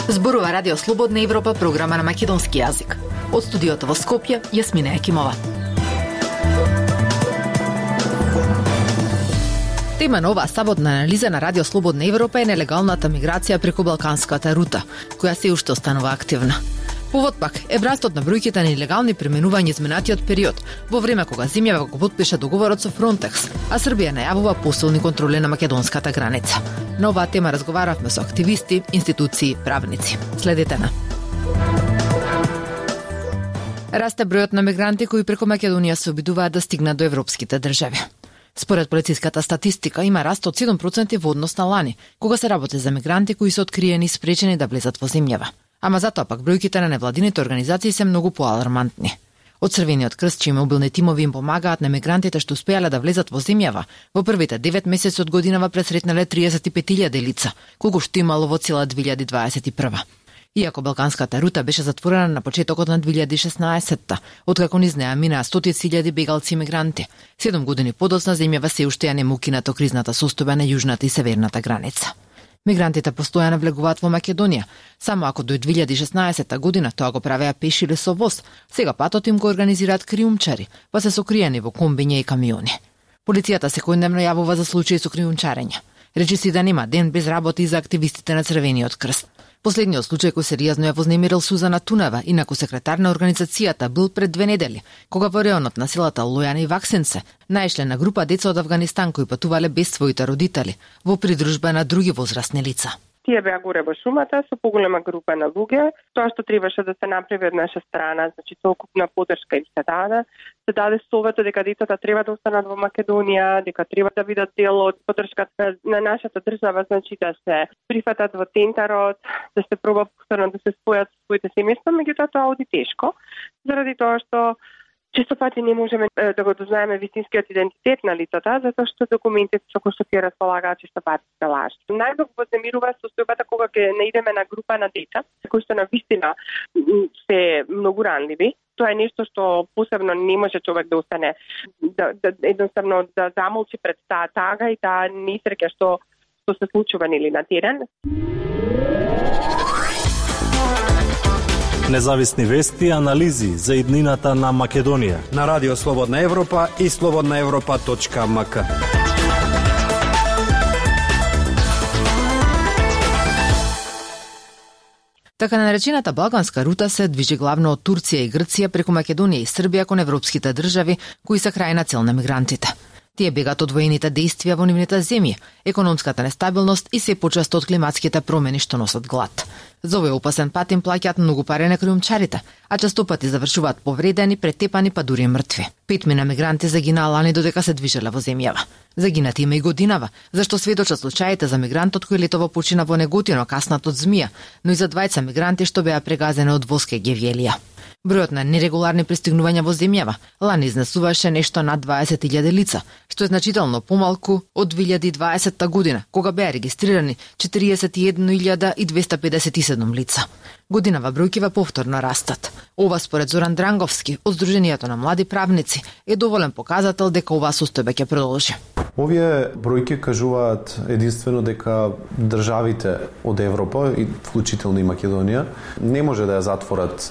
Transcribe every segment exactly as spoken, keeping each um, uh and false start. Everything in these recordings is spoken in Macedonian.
Зборува Радио Слободна Европа, програма на македонски јазик. Од студиото во Скопје, Јасмина Екимова. Тема на оваа саботна анализа на Радио Слободна Европа е нелегалната миграција преку Балканската рута, која се уште останува активна. Повод пак е растот на бројките на нелегални преминувања изминатиот период, во време кога земјава го потпиша договорот со Фронтекс, а Србија најавува посилни контроли на македонската граница. На оваа тема разговаравме со активисти, институции, правници. Следете на. Расте бројот на мигранти кои преку Македонија се обидуваат да стигнат до европските држави. Според полициската статистика има раст од седум проценти во однос на лани, кога се работи за мигранти кои се откриени и спречени да влезат во земјава. Ама затоа пак бројките на невладините организации се многу поалармантни. Од Црвениот крст, чии мобилни тимови им помагаат на мигрантите што успеале да влезат во земјава, во првите девет месеци од годинава пресретнале триесет и пет илјади лица, колку што имало во цела две илјади дваесет и прва. Иако Балканската рута беше затворена на почетокот на две илјади и шеснаесетта, откако низ неа минаа стотици илјади бегалци и мигранти, седум години подоцна земјава се уште ја не му кинато кризната состојба на јужната и северната граница. Мигрантите постојано влегуваат во Македонија, само ако до две илјади и шеснаесетта година тоа го правеа пеш или со воз, сега патот им го организираат криумчари, па се сокриени во комбиња и камиони. Полицијата секојдневно јавува за случаи со криумчарење. Речи си да нема ден без работа и за активистите на Црвениот крст. Последниот случај кој сериозно ја вознемирил Сузана Тунева, инаку секретар на организацијата, бил пред две недели, кога во реонот на селата Лојана и Ваксенце наишле на група деца од Авганистан кои патувале без своите родители, во придружба на други возрастни лица. Тие беа горе во шумата со поголема група на луѓе. Тоа што требаше да се направи од наша страна, значи целокупна поддршка им се даде. Се даде советот дека децата треба да останат во Македонија, дека треба да бидат дел од поддршката на нашата држава, значи да се прифатат во тентарот, да се проба повторно да се спојат со своите семејства, меѓутоа тоа оди тешко, заради тоа што често пати не можеме да го дознаеме вистинскиот идентитет на лицата, затоа што документите со кои што тие располагаат често пати се лажни. Најмногу вознемирува состојбата кога ќе наидеме на група на деца, кои што навистина се многу ранливи. Тоа е нешто што посебно не може човек да остане, да, да едноставно да замолчи пред таа тага и таа несреќа што, што се случува нели на терен. Независни вести и анализи за иднината на Македонија на Радио Слободна Европа и слободна европа точка ем ка. Така наречената Балканска рута се движи главно од Турција и Грција преку Македонија и Србија кон европските држави кои се крајна цел на мигрантите. Тие бегат од воените дејствија во нивните земји, економската нестабилност и се почесто од климатските промени што носат глад. За овој опасен пат им плаќаат многу пари на криумчарите, а често пати завршуваат повредени, претепани, па дури мртви. Петмина мигранти загинаа лани додека се движеле во земјава. Загинати има и годинава, зашто сведочат случаите за мигрантот кој летово почина во Неготино каснат од змија, но и за двајца мигранти што беа прегазени од воска Гевјелија. Бројот на нерегуларни пристигнувања во земјава лани изнесуваше нешто над дваесет илјади лица, што е значително помалку од две илјади и дваесетта година, кога беа регистрирани четириесет и една илјада и двеста педесет и седум лица. Годинава бројкива повторно растат. Ова според Зоран Дранговски од Сдруженијето на млади правници е доволен показател дека оваа состојба ќе продолжи. Овие бројки кажуваат единствено дека државите од Европа, и вклучително и Македонија, не може да ја затворат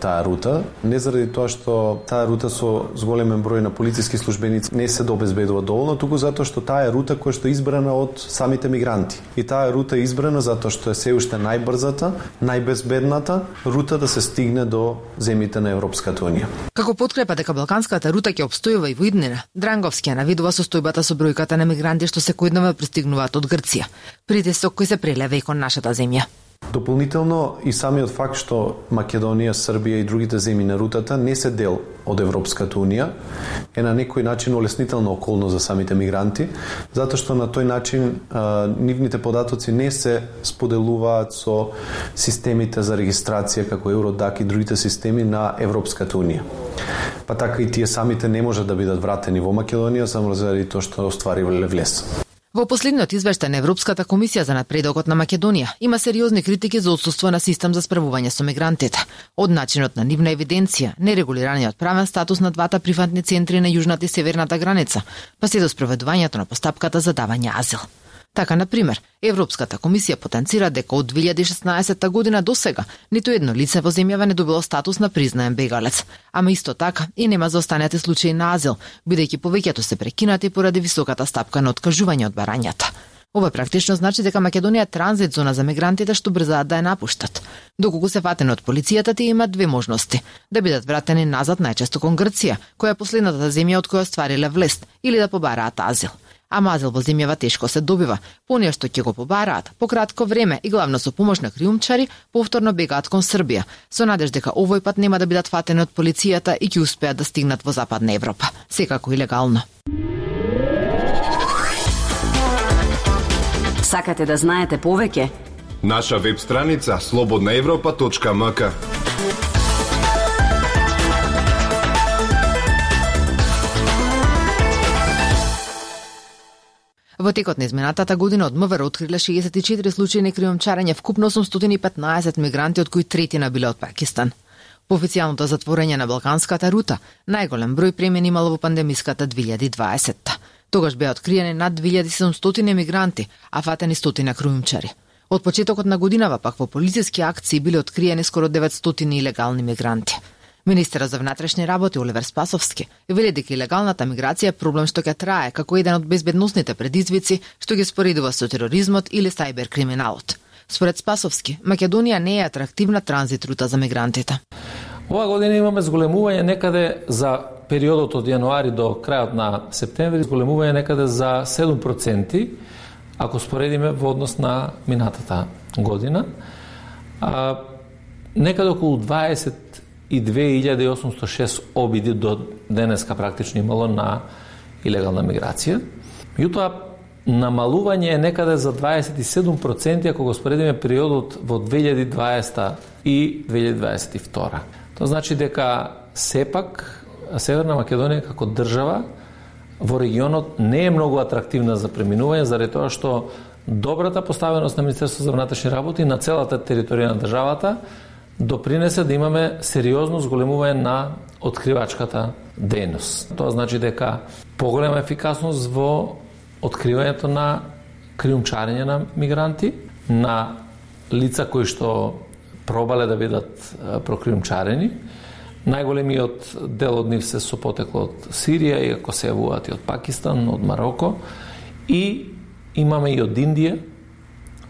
таа рута, не заради тоа што таа рута со зголемен број на полициски службеници не се добезбедува доволно, туку затоа што таа е рута која што е избрана од самите мигранти. И таа рута е избрана затоа што е се уште најбрзата, најбезбедната рута да се стигне до земјите на Европската унија. Како подкрепа дека Балканската рута ќе обстојува и во иднина, Дранговски ја навидува состојбата со бројката на мигранти што секојдневно пристигнуваат од Грција, притисок кој се прелева и кон нашата земја. Дополнително и самиот факт што Македонија, Србија и другите земји на рутата не се дел од Европската унија е на некој начин олеснителна околност за самите мигранти, затоа што на тој начин а, нивните податоци не се споделуваат со системите за регистрација како Евродак и другите системи на Европската унија. Па така и тие самите не можат да бидат вратени во Македонија само заради тоа што остваривале влез. Во последниот извештај на Европската комисија за напредокот на Македонија има сериозни критики за отсуство на систем за справување со мигрантите, од начинот на нивна евиденција, нерегулираниот правен статус на двата приватни центри на јужната и северната граница, па се до спроведувањето на постапката за давање азил. Така, например, Европската комисија потенцира дека од две илјади и шеснаесетта година до сега ниту едно лице во земјава не добило статус на признаен бегалец, ама исто така и нема за останати случаи на азил, бидејќи повеќето се прекинати поради високата стапка на откажување од барањата. Ова практично значи дека Македонија е транзит зона за мигрантите што брзаат да ја напуштат. Доколку се фатени од полицијата, тие имаат две можности: да бидат вратени назад најчесто кон Грција, која е последната земја од која оствариле влест, или да побараат азил. Ама азил во земјава тешко се добива, понеја што ќе го побараат по кратко време и главно со помош на криумчари повторно бегаат кон Србија, со надеж дека овој пат нема да бидат фатени од полицијата и ќе успеат да стигнат во Западна Европа, секако и легално. Сакате да знаете повеќе? Наша веб страница слободна европа точка ем ка. Во текот на изминатата година од МВР откриле шеесет и четири случаи на криумчарење, вкупно осумстотини и петнаесет мигранти, од кои третина биле од Пакистан. По официјалното затворање на Балканската рута, најголем број премини имало во пандемиската две илјади и дваесетта. Тогаш беа откриени над две илјади и седумстотини мигранти, а фатени стотина криумчари. Од почетокот на годинава пак во полициски акции биле откриени скоро деветстотини илегални мигранти. Министерот за внатрешни работи Оливер Спасовски вели дека илегалната миграција е проблем што ќе трае како еден од безбедносните предизвици што ги споредува со тероризмот или сајбер криминалот. Според Спасовски, Македонија не е атрактивна транзит рута за мигрантите. Ова година имаме зголемување некаде за периодот од јануари до крајот на септември, зголемување некаде за седум проценти, ако споредиме во однос на минатата година. А, некаде околу дваесет и две илјади и осумстотини и шест обиди до денеска практично имало на илегална миграција. Меѓутоа, намалување е некаде за дваесет и седум проценти ако го споредиме периодот во две илјади и дваесета и две илјади дваесет и втора. Тоа значи дека сепак Северна Македонија како држава во регионот не е многу атрактивна за преминување, заради тоа што добрата поставеност на Министерството за внатрешни работи на целата територија на државата допринесе да имаме сериозно зголемување на откривачката дејност. Тоа значи дека поголема ефикасност во откривањето на криумчарење на мигранти, на лица кои што пробале да бидат прокриумчарени. Најголемиот дел од нив се со потекло од Сирија, иако се јавуваат и од Пакистан, од Мароко, и имаме и од Индија,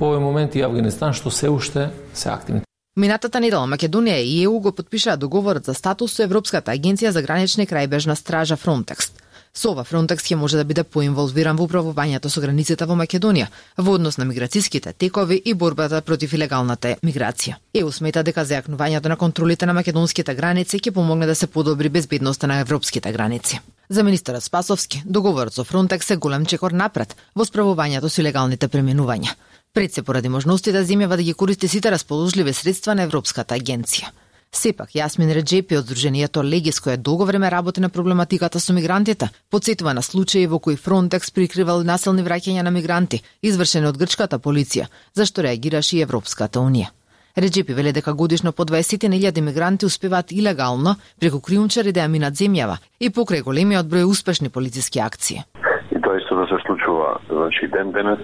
во овој момент и Авганистан, што се уште се активни. Минатата недела Македонија и ЕУ го потпишаа договорот за статус со Европската агенција за гранична и крајбрежна стража Фронтекс. Со ова Фронтекс ќе може да биде поинволвиран во управувањето со границите во Македонија, во однос на миграцијските текови и борбата против илегалната миграција. ЕУ смета дека зајакнувањето на контролите на македонските граници ќе помогне да се подобри безбедноста на европските граници. За министерот Спасовски, договорот со Фронтекс е голем чекор напред во справувањето со илегалните преминувања. Пред се поради можностите земјава да ги користи сите расположливи средства на Европската агенција. Сепак, Јасмин Реджепи од Сдруженијето Легис, која долго време работи на проблематиката со мигрантите, потсетува на случаи во кои Фронтекс прикривал насилни враќања на мигранти, извршени од грчката полиција, зашто реагираше и Европската унија. Реджепи вели дека годишно по дваесет илјади мигранти успеваат илегално преку криумчари да ја минат земјава и покрај големиот број успешни полициски акции. И тоа исто да се случува, значи ден денес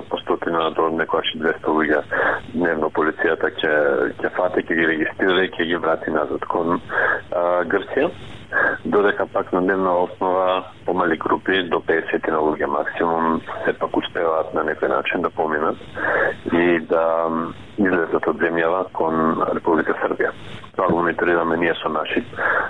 по стотина до некојаш двесте луѓе дневно полицијата ќе ќе фати, ќе ги регистрира и ќе ги врати назад кон а, Грција, додека пак на дневна основа помали групи до петдесет на луѓе максимум сепак успеваат на некој начин да поминат и да излезат од земјава кон Република Србија. Тоа го мониторираме ние со наши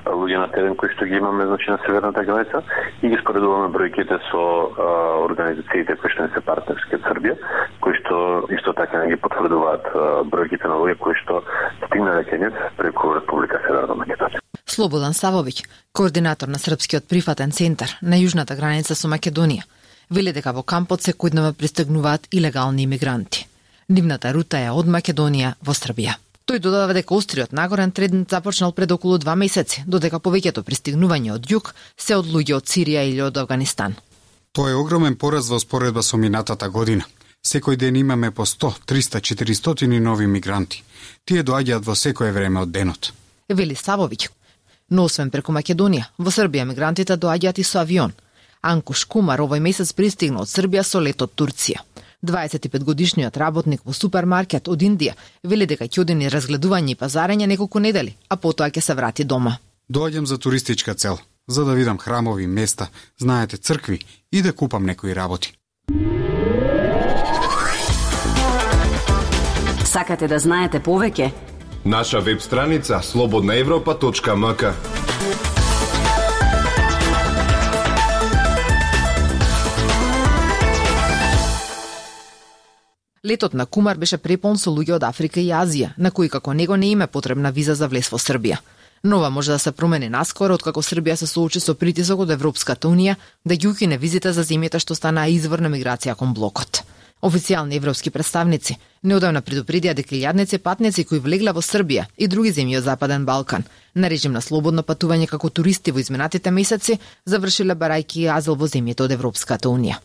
луѓе на терен кои што ги имаме, значи на северната граница, и ги споредуваме бројките со а, организациите кои што не се партнерски од Србија, кои што исто така не ги потврдуваат а, бројките на луѓе кои што стигнале кај нив преку Република Северна Македонија. Слободан Савовиќ, координатор на Српскиот прифатен центар на јужната граница со Македонија, вели дека во кампот секојдневно пристигнуваат илегални имигранти. Нивната рута е од Македонија во Србија. Тој додава дека остриот нагорен тренд започнал пред околу два месеци, додека повеќето пристигнувања од југ се од луѓе од Сирија или од Авганистан. Тоа е огромен пораз во споредба со минатата година. Секој ден имаме по сто, триста, четиристотини нови мигранти. Тие доаѓаат во секое време од денот. Вели Славовиќ. Но освен преку Македонија, во Србија мигрантите доаѓаат и со авион. Анкуш Кумар овој месец пристигна од Србија со лет од Турција. дваесет и пет годишниот работник во супермаркет од Индија вели дека ќе оди на разгледување и пазарење неколку недели, а потоа ќе се врати дома. Доаѓам за туристичка цел, за да видам храмови, места, знаете, цркви и да купам некои работи. Сакате да знаете повеќе? Наша веб страница слободна европа точка ем ка. Летот на Кумар беше препон со луѓе од Африка и Азија, на кои како него не им е потребна виза за влез во Србија. Но ова може да се промени наскоро, откако Србија се соочи со притисок од Европската унија да ги укине визите за земјите што станаа извор на миграција кон блокот. Официјални европски представници неодамна предупредија дека илјадници патници кои влегла во Србија и други земји од Западен Балкан на режим на слободно патување како туристи во изминатите месеци завршиле барајки азил во земјите од Европската унија.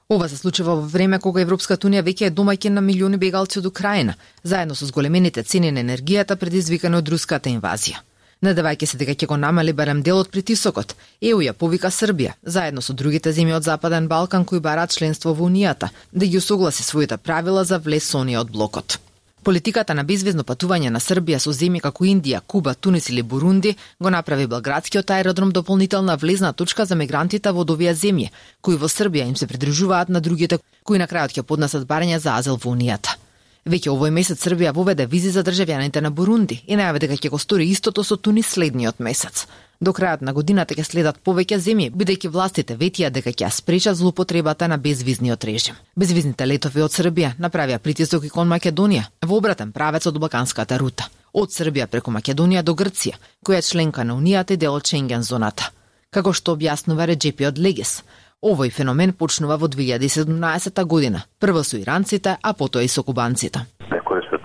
Ова се случува во време кога Европската унија веќе е домаќин на милиони бегалци од Украина, заедно со зголемените цени на енергијата предизвикани од руската инвазија. Надевајќи се дека ќе го намали барем дел од притисокот, Е У ја повика Србија, заедно со другите земји од Западен Балкан кои бараат членство во Унијата, да ги усогласи своите правила за влез со оние од блокот. Политиката на безвизно патување на Србија со земји како Индија, Куба, Тунис или Бурунди го направи Белградскиот аеродром дополнителна влезна точка за мигрантите во овие земји, кои во Србија им се придружуваат на другите кои на крајот ќе поднесат барање за азил во Унијата. Веќе овој месец Србија воведе визи за државјаните на Бурунди и најави дека ќе го стори истото со Тунис следниот месец. До крајот на годината ќе следат повеќе земји, бидејќи властите ветија дека ќе спречат злоупотребата на безвизниот режим. Безвизните летови од Србија направија притисок и кон Македонија во обратен правец од балканската рута, од Србија преку Македонија до Грција, која е членка на Унијата и дел од Шенген зоната. Како што објаснува Реджепи од Легес, овој феномен почнува во две илјади и седумнаесета година, прво со иранците, а потоа и со кубанците.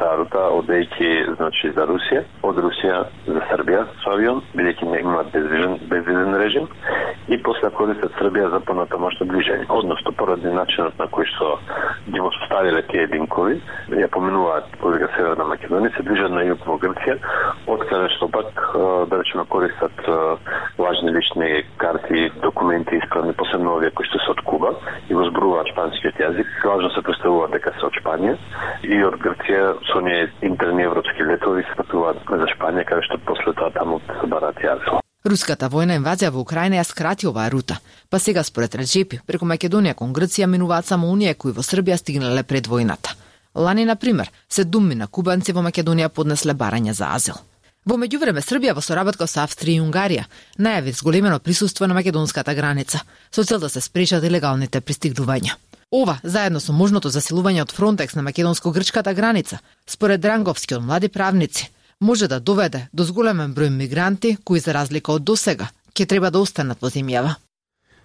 Таа рута одејќи значи за Русија, од Русија за Србија со авион, бидејќи не имаат безвизен безвизен режим и после користат Србија за понатамошно движење. Односно поради начинот на кој што ги го составиле тие единкови, ја поминуваат повеќе Северна Македонија, се движат на југ во Грција, од каде што пак да речеме користат важни лични карти, документи исправни, посебно овие кои што се од Куба и го зборуваат шпанскиот јазик, лажно се представуваат дека се од Шпанија и од Грција со оние интерни европски летови се патуваат за Шпанија, каде што после тоа таму се бараат јазил. Руската војна инвазија во Украина ја скрати оваа рута, па сега според Реджепи преку Македонија кон Грција минуваат само оние кои во Србија стигнале пред војната. Лани на пример, седумина кубанци во Македонија поднесле барање за азил. Во меѓувреме Србија во соработка со Австрија и Унгарија најави зголемено присуство на македонската граница со цел да се спречат илегалните пристигнувања. Ова, заедно со можното засилување од Фронтекс на македонско-грчката граница, според Дранговски од млади правници, може да доведе до зголемен број мигранти кои за разлика од досега ќе треба да останат во земјава.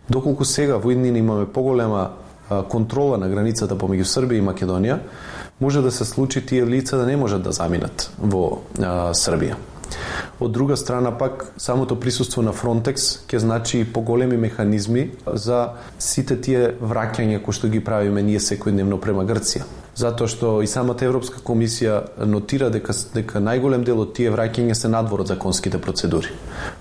Доколку сега во иднина имаме поголема контрола на границата помеѓу Србија и Македонија, може да се случи тие лица да не можат да заминат во а, Србија. Од друга страна пак, самото присуство на Фронтекс ќе значи и поголеми механизми за сите тие враќања кои што ги правиме ние секојдневно према Грција. Затоа што и самата Европска комисија нотира дека дека најголем дел од тие враќања се надвор од законските процедури.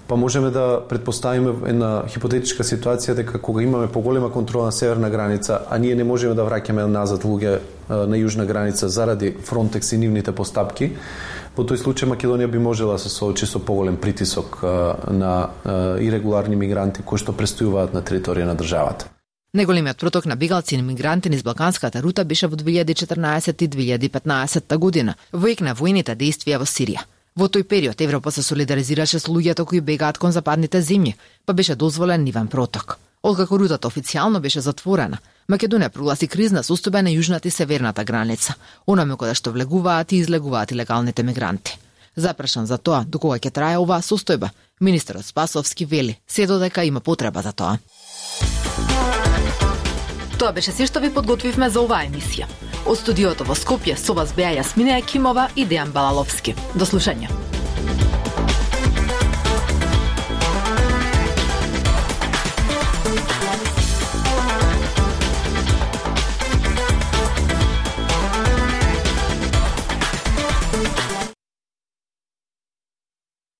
Па можеме да предпоставиме една хипотетичка ситуација дека кога имаме поголема контрола на северна граница, а ние не можеме да враќаме назад луѓе на јужна граница заради Фронтекс и нивните постапки, во тој случај Македонија би можела да се соочи со поголем притисок на ирегуларни мигранти кои што престојуваат на територија на државата. Најголемиот проток на бегалци и мигранти низ балканската рута беше во две илјади и четрнаесета и две илјади и петнаесета година, во ек на војните дејствија во Сирија. Во тој период Европа се солидаризираше со луѓето кои бегаат кон западните земји, па беше дозволен нивен проток. Откако рутата официјално беше затворена, Македонија прогласи кризна состојба на јужната и северната граница, онаме каде што влегуваат и излегуваат илегалните мигранти. Запрашан за тоа до кога ќе трае оваа состојба, министерот Спасовски вели се додека има потреба за тоа. Тоа беше се што ви подготвивме за оваа емисија. Од студиото во Скопје со вас беа Јасмина Екимова и Дејан Балаловски. До слушање.